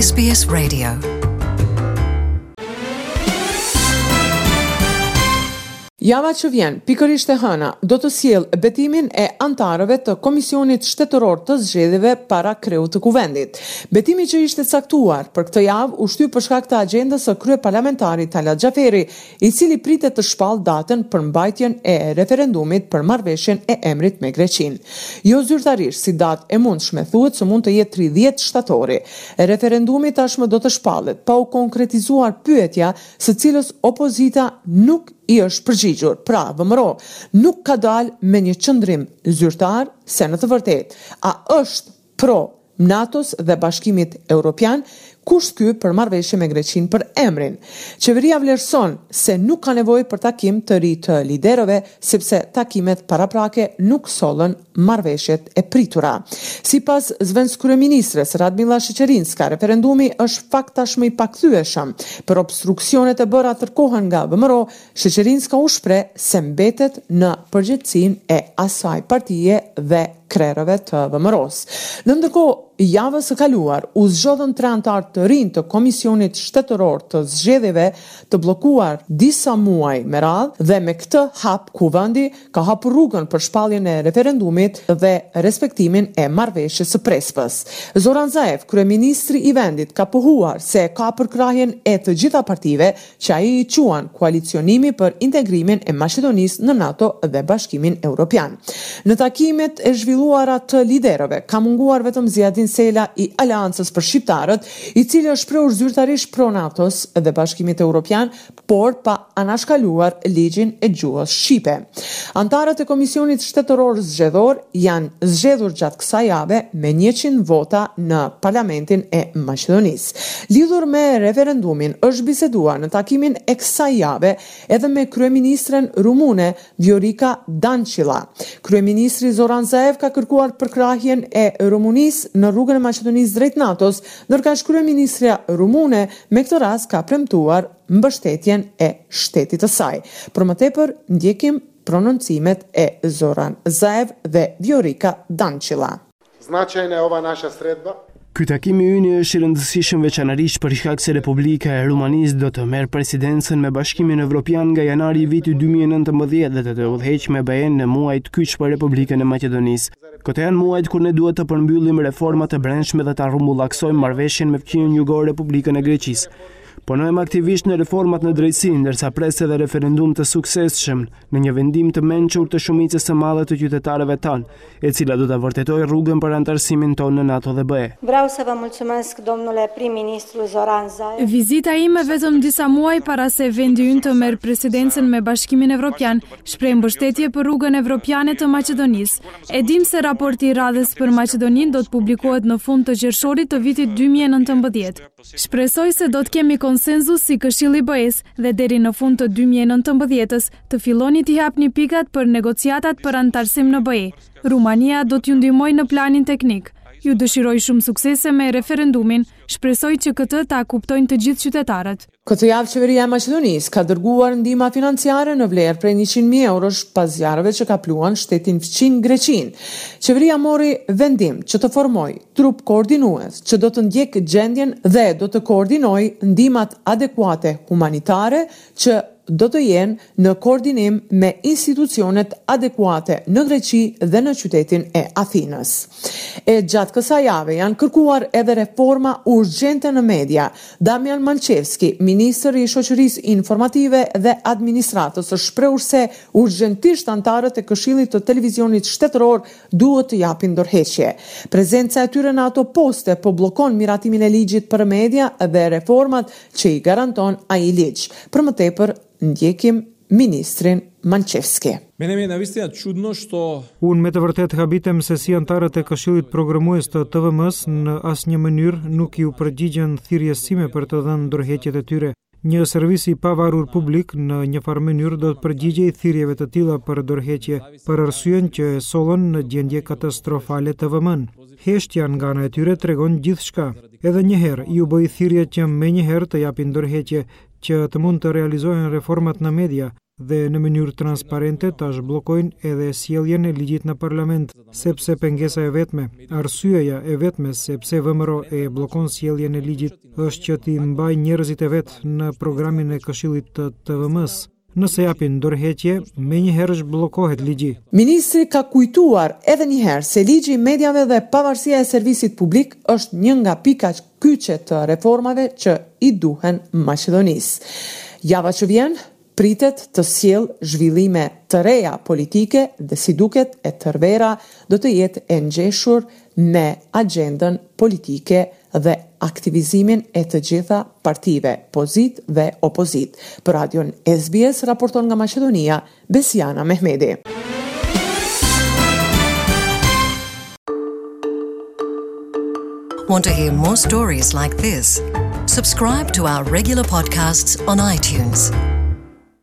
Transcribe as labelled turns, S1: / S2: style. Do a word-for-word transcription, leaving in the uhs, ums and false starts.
S1: S B S Radio.
S2: Java që vjen, pikërisht e hëna, do të sjellë betimin e anëtarëve të Komisionit Shtetëror të Zgjedhjeve para kreut të Kuvendit. Betimi që ishte caktuar për këtë javë u shty për shkak të agjendës së kryeparlamentarit Talat Xhaferi, i cili pritet të shpallë datën për mbajtjen e referendumit për marrëveshjen e emrit me Greqinë. Jo zyrtarisht, si datë e mundshme thuhet se mund të jetë tridhjetë shtatori. Referendumi tashmë do të shpallet pa u konkretizuar pyetja së cilës opozita nuk i është përgjigjur. Pra, V M R O nuk ka dalë me një qëndrim zyrtar se në të vërtetë a është pro NATO-s dhe Bashkimit Evropian, kusht ky për marrëveshje me Greqinë për emrin. Qeveria vlerëson se nuk ka nevojë për takim të ri të liderëve, sepse takimet paraprake nuk sollën marrëveshjet e pritura. Sipas zëvendëskryeministres Radmila Sheqerinska, referendumi është fakt tashmë i pakthyeshëm. Për obstruksionet e bëra tërkohën nga V M R O, Sheqerinska u shpreh se mbetet në përgjegjësinë e asaj partie dhe krerëve të V M R O-s. Në ndërkohë, javës së kaluar u zgjodhën tre anëtarë të rinj të Komisionit Shtetëror të Zgjedhjeve të bllokuar disa muaj me radhë dhe me këtë hap Kuvendi ka hapur rrugën për shpalljen e referendumit dhe respektimin e marrëveshjes së Prespës. Zoran Zaev, kryeministri i vendit, ka pohuar se ka përkrahjen e të gjitha partive që ai i quan koalicionimi për integrimin e Maqedonisë në NATO dhe Bashkimin Evropian. Në takimet e zhvilluara të liderëve ka munguar vetëm Ziadin Sela i Aleancës për Shqiptarët, i cili është shprehur zyrtarisht pro NATO-s dhe Bashkimit Evropian, por pa anashkaluar ligjin e gjuhës shqipe. Anëtarët e Komisionit Shtetëror Zgjedhor janë zgjedhur gjatë kësaj jave me njëqind vota në Parlamentin e Maqedonisë. Lidhur me referendumin është biseduar në takimin e kësaj jave edhe me kryeministren rumune Viorica Dancila. Kryeministri Zoran Zaev ka kërkuar përkrahjen e Rumunisë në rrugën e Maqedonisë drejt NATO-s, ndërkaq kryeministrja rumune me këtë rast ka premtuar mbështetjen e shtetit të saj. Për më tepër, ndjekim prononcimet e Zoran Zaev dhe Viorica Dancila.
S3: Značajna je ova naša sredba.
S4: Ky takim i yni është i rëndësishëm veçanërisht për shkak se Republika e Rumanisë do të merr presidencën me Bashkimin Evropian nga janari i vitit dy mijë e nëntëmbëdhjetë dhe do të udhëheqë me B E në muajt kyç për Republikën e Maqedonisë. Këto janë muajt kur ne duhet të përmbyllim reformat e brendshme dhe ta rrumbullaksojmë marrëveshjen me fqinjën jugor, Republikën e Greqisë. Punojmë aktivisht në reformat në drejtësi, ndërsa pres edhe referendum të suksesshëm në një vendim të mençur të shumicës së madhe të qytetarëve tanë, e cila do ta vërtetojë rrugën për anëtarësimin tonë në NATO dhe B E.
S5: Vreau să vă mulțumesc, domnule prim-ministru Zoran Zaev.
S6: Vizita ime vetëm disa muaj para se vendi ynë të merr presidencën me Bashkimin Evropian, shpreh mbështetje për rrugën evropiane të Maqedonisë. E dim se raporti i radhës për Maqedoninë do të publikohet në fund të qershorit të vitit dy mijë e nëntëmbëdhjetë. Shpresoj se do të kemi konsensus si Këshilli i B E-s dhe deri në fund të dy mijë e nëntëmbëdhjetës të filloni t'i hapni pikat për negociatat për anëtarësim në B E. Rumania do t'ju ndihmojë në planin teknik. Ju dëshiroj shumë suksese me referendumin, shpresoj që këtë ta kuptojnë të gjithë qytetarët.
S2: Këtë javë qeveria e Maqedonisë ka dërguar ndihma financiare në vlerë prej njëqind mijë eurosh pas zjarreve që kapluan shtetin fqinj Greqinë. Qeveria mori vendim që të formojë trup koordinues që do të ndjekë gjendjen dhe do të koordinojë ndihmat adekuate humanitare që do të jenë në koordinim me institucionet adekuate në Greqi dhe në qytetin e Athinës. E gjatë kësaj jave janë kërkuar edhe reforma urgjente në media. Damian Malçevski, ministër i Shoqërisë Informative dhe Administratës, është shprehur se urgjentisht anëtarët e Këshillit të Televizionit Shtetëror duhet të japin dorëheqje. Prezenca e tyre në ato poste po bllokon miratimin e ligjit për media dhe reformat që i garanton ai ligj. Për më tepër, ndjekim ministrin Malçevski.
S7: Мене ми е навистина чудно што
S8: Unë me të vërtetë habitem se si anëtarët e Këshillit Programues të T V M-s në asnjë mënyrë nuk iu përgjigjen thirrjes sime për të dhënë dorëheqjet e tyre. Një servis i pavarur publik në një farë mënyrë do të përgjigjej thirrjeve të tilla për dorëheqje, për arsyen që e sollën në gjendje katastrofale T V M-n. Heshtja nga ana e tyre tregon gjithçka. Edhe një herë ju bëj thirrje që menjëherë të japin dorëheqje, që të mund të realizohen reformat në media dhe në mënyrë transparente ta zhbllokojnë edhe sjelljen e ligjit në parlament, sepse pengesa e vetme, arsyeja e vetme se pse V M R O e bllokon sjelljen e ligjit është që t'i mbajë njerëzit e vet në programin e Këshillit të T V M-së. Nëse japin dorëheqje, menjëherë zhbllokohet ligji.
S2: Ministri ka kujtuar edhe një herë se ligji i mediave dhe pavarësia e servisit publik është një nga pikat kyçe të reformave që i duhen Maqedonisë. Java që vjen pritet të sjell zhvillime të reja politike dhe, si duket, e tërë vera do të jetë e ngjeshur me agjendën politike dhe aktivizimin e të gjitha partive, pozitë dhe opozitë. Për radion S B S raporton nga Maqedonia, Besiana Mehmedi.
S1: Want to hear more stories like this? Subscribe to our regular podcasts on iTunes.